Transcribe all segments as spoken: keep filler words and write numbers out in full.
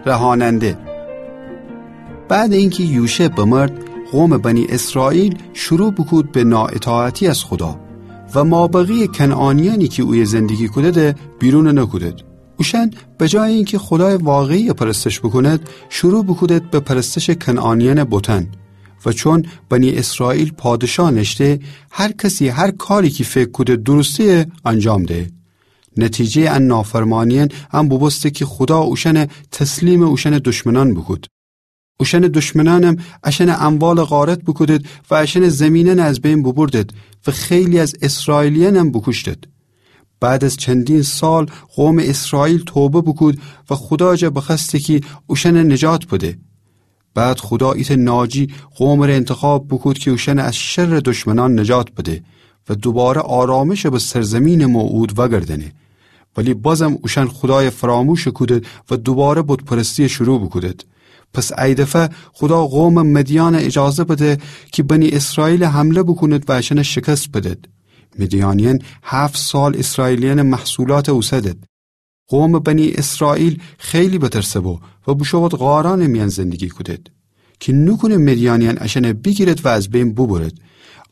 رهاننده. بعد اینکه یوشع بمرد، قوم بنی اسرائیل شروع بوکود به نااطاعتی از خودا و مابقی کنعانیانی کی اویه زندگی کودده بیرون نکودد. اوشأن به جای اینکه خودای واقعی پرستش بوکوند، شروع بوکودد به پرستش کنعانیان بتأن. و چون بنی اسرائیل پادشاه نشته، هر کسی هر کاری کی فکر کوده درسته‌یه انجام ده. نتیجه‌یٚ ا نافرمانیأن ا بوبوسته کی خودا اوشأن تسلیمٚ اوشأن دشمنأن بوکود. اوشأن دشمنأنم اشأن اموال غارت بوکودد و اشأن زیمینأن از بین بوبردد و خیلی از اسرائیلیأنم بوکوشتد. بعد از چندین سال قومٚ اسرائیل توبه بوکود و خودا جا بخوأسته کی اوشأن نجات بده. بعد خودا ایتأ ناجی قومٚ ره انتخاب بوکود کی اوشأن از شرٚ دشمنأن نجات بده و دوباره آرامش به سرزیمینٚ موعود وأگردأنه. ولی بازم اوشأن خودای فراموش کودد و دوباره بت‌پرستی شروع بوکودد. پس ای دفعه خودا قومٚ مدیأن اجازه بده کی بنی اسرائیل حمله بوکوند و اشأن شکست بدد. مدیأنیأن هفت سال اسرائیلیأنٚ محصولات اوسدد. قومٚ بنی اسرائیل خیلی بترسه بو و بوشود غارأنٚ میأن زندگی کودد کی نوکونه مدیأنیأن اشأن بیگیرد و از بین بوبرد.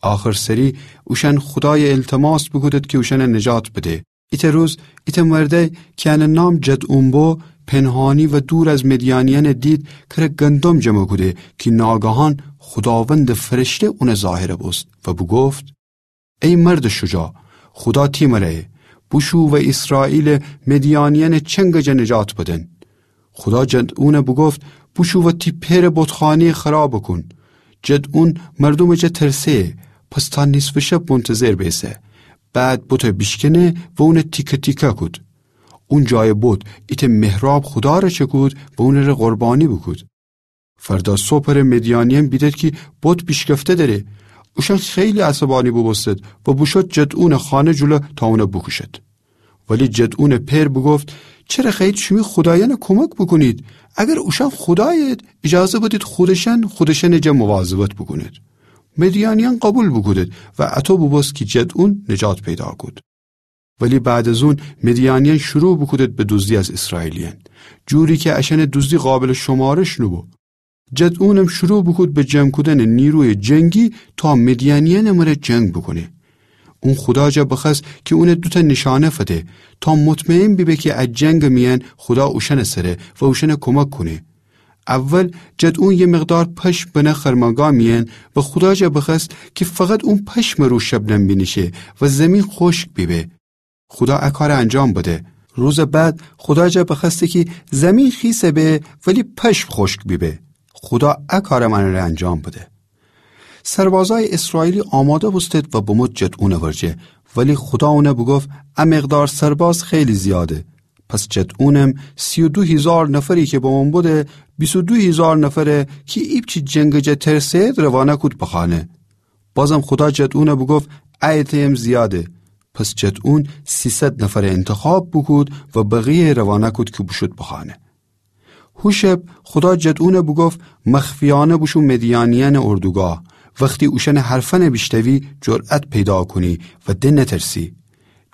آخر سری اوشأن خودای التماس بوکودد کی اوشأن نجات بده. ایتأ روز ایتأ مردأی کی انٚ نام جدعون بو، پنهانی و دور از مدیأنیأن دید کره گندم جمع کوده کی ناگهان خوداوندٚ فرشته اون ظاهر بوست و بوگفت: ای مردٚ شجاع، خودا تی مره‌یه، بوشو و اسرائیل مدیأنیأنٚ چنگٚ جا نجات بدن. خودا جدعون بوگفت: بوشو و تی پئرٚ بتخانه‌یه خراب کون. جدعون مردومٚ جا ترسه، پس تا نیصفٚ شب منتظر بیسه. بعد بت بیشکنه و اون تیکه تیکه کود. اون جای بت ایتأ محراب خودا ره چکود و اون ره قربانی بوکود. فردا صبحٚ ره مدیأنیأن بیدد کی بت بیشکفته دره. اوشأن خیلی عصبانی بوبوستد و بوشد جدعونٚ خانه جلو تا اون بوکوشد. ولی جدعونٚ پئر بوگفت: چره خوأیید شیمی خودایأن کمک بوکونید؟ اگر اوشأن خودایید، اجازه بدید خودشأن خودشأنٚ جا مواظبت بوکونید. مدیأنیأن قبول بوکودد و اطو بوبوست کی جدعون نجات پیدا کود. ولی بعد از اون مدیأنیأن شروع بوکودد به دوزدی از اسرائیلیأن، جوری کی اشأنٚ دوزدی قابلٚ شمارش نوبو. جدعونم شروع بوکود به جمع کودنٚ نیرویٚ جنگی تا مدیأنیأنٚ مره جنگ بوکونه. اون خودا جا بخوأست کی اون دوتأ نیشأنه فده تا مطمئن بیبه کی ا جنگٚ میأن خودا اوشأنٚ سره و اوشأن کمک کونه. اول جدعون یه مقدار پشم بنه خرمنگاه میأن و خودا جا بخوأست کی فقط اون پشمٚ رو شبنم بینیشه و زیمین خوشک بیبه. خودا ا کار انجام بده. روزٚ بعد خودا جا بخوأسته کی زیمین خیس به ولی پشم خوشک بیبه. خودا ا کارم انٚ ره انجام بده. سربازأیٚ اسرائیلی آماده بوستد و بمود جدعونٚ ورجه، ولی خودا اون بوگفت: ا مقدار سرباز خیلی زیاده. پس جدعونم سی و دو هیزار نفری کی بمون بوده، بیست و دو هیزار نفره کی ایپچی جنگٚ جا ترسه‌یید روانه کود به خانه. بازم خودا جدعون بوگفت: ا عده‌یم زیاده. پس جدعون سیصد نفر انتخاب بوکود و بقیه روانه کود کی بوشود به خانه. هو شب خودا جدعون بوگفت: مخفیأنه بوشو مدیأنیأنٚ اردوگاه. وختی اوشأنٚ حرفأن بیشتوی، جرأت پیدا کونی و د نترسی.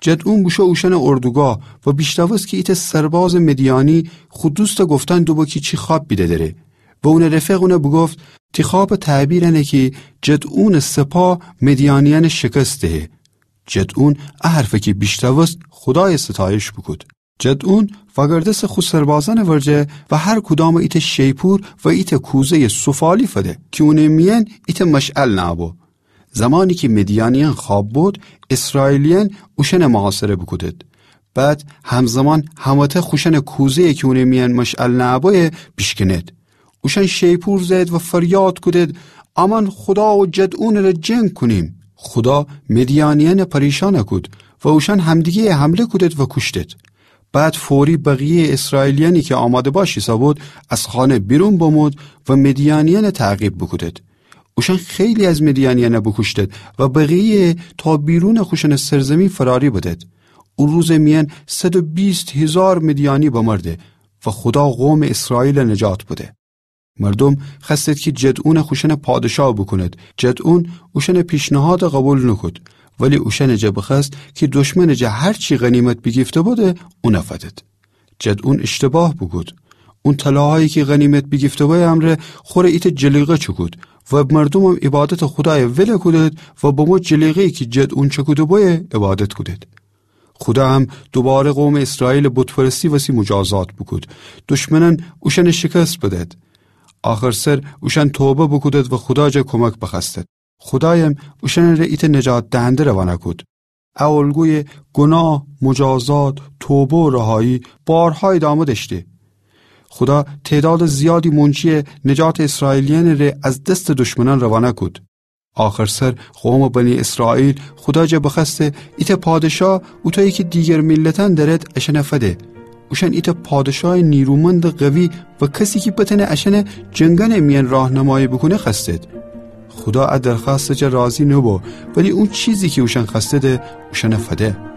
جدعون بوشو اوشأنٚ اردوگاه و بیشتوست کی ایتأ سربازٚ مدیأنی خو دوستٚ گفتن دوبو کی چی خوأب بیده دره. و اونٚ رفیق اون بوگفت: تی خوأبٚ تعبیر انه کی جدعونٚ سپاه مدیأنیأنٚ شکست دهه. جدعون ا حرفٚ کی بیشتوست خودایٚ ستایش بوکود. جدعون وأگردسٚ خو سربازأنٚ ورجه و هر کدامٚ ایتأ شیپور و ایتأ کوزه‌یٚ سفالی فده کی اونٚ میأن ایتأ مشعل نأبو. زمانی کی مدیأنیأن خوأب بود، اسرائیلیأن اوشأن محاصره بوکودد. بعد همزمان همه‌تأ خوشأنٚ کوزه‌یٚ کی اونٚ میأن مشعل نأبویه بیشکنید. اوشأن شیپور زأیید و فریاد کودید: امأن خودا و جدعونٚ ره جنگ کونیم. خودا مدیأنیأن پریشان کود و اوشأن همدیگه‌یٚ حمله کودید و کوشتید. بعد فوری بقیه‌یٚ اسرائیلیأنی کی آماده باش ایسه‌بود، از خانه بیرون بمود و مدیأنیأن تعقیب بوکودید. اوشأن خیلی از مدیأنیأن بوکوشتید و بقیه‌یٚ تا بیرونٚ خوشأنٚ سرزیمین فراری بدید. او روزٚ میأن صد و بیست هیزار مدیأنی بمرده و خودا قومٚ اسرائیل نجات بده. مردوم خوأستید کی جدعون خوشأن پادشاه بوکونید. جدعون اوشأنٚ پیشنهاد قبول نوکود، ولی اوشأنٚ جا بخوأست کی دشمنٚ جا هر چی غنیمت بیگیفته بوده، اون فدید. جدعون اشتباه بوکود. اون طلاهایی کی غنیمت بیگیفته‌بویه امرأ خوره ایتأ جلیقه چکود و مردومم عبادتٚ خودایَ ول کودید و بمو جلیقه‌یی کی جدٚ اون چکوده‌بویه عبادت کودید. خودا هم دوباره قومٚ ایسرائیلٚ بت‌پرستی وسی مجازات بوکود. دشمنأن اوشأنَ شکست بدید. آخرسر اوشأن توبه بوکودید و خودا جا کمک بخوأستید. خودایم اوشأنٚره ایتأ نجات دهنده روانه کود. ا الگویٚ گناه، مجازات، توبه و رهایی بارها ادامه دأشته. خودا تعدادٚ زیادی مونچی نجاتٚ ایسرائیلیأنٚ ره از دستٚ دشمنأن روانه کود. آخرسر قومٚ بنی ایسرائیل خودا جا بخوأسته ایتأ پادشاه اوطویی کی دیگر میلتأن دأرید اشأنَ فده. اوشأن ایتأ پادشایٚ نیرومندٚ قوی و کسی کی بتأنه اشأنَ جنگأنٚ میأن راهنمایی بوکونه خوأستید. خودا ا درخوأستٚ جا راضی نوبو، ولی او چیزی کی اوشأن خوأستیدی اوشأنَ فده.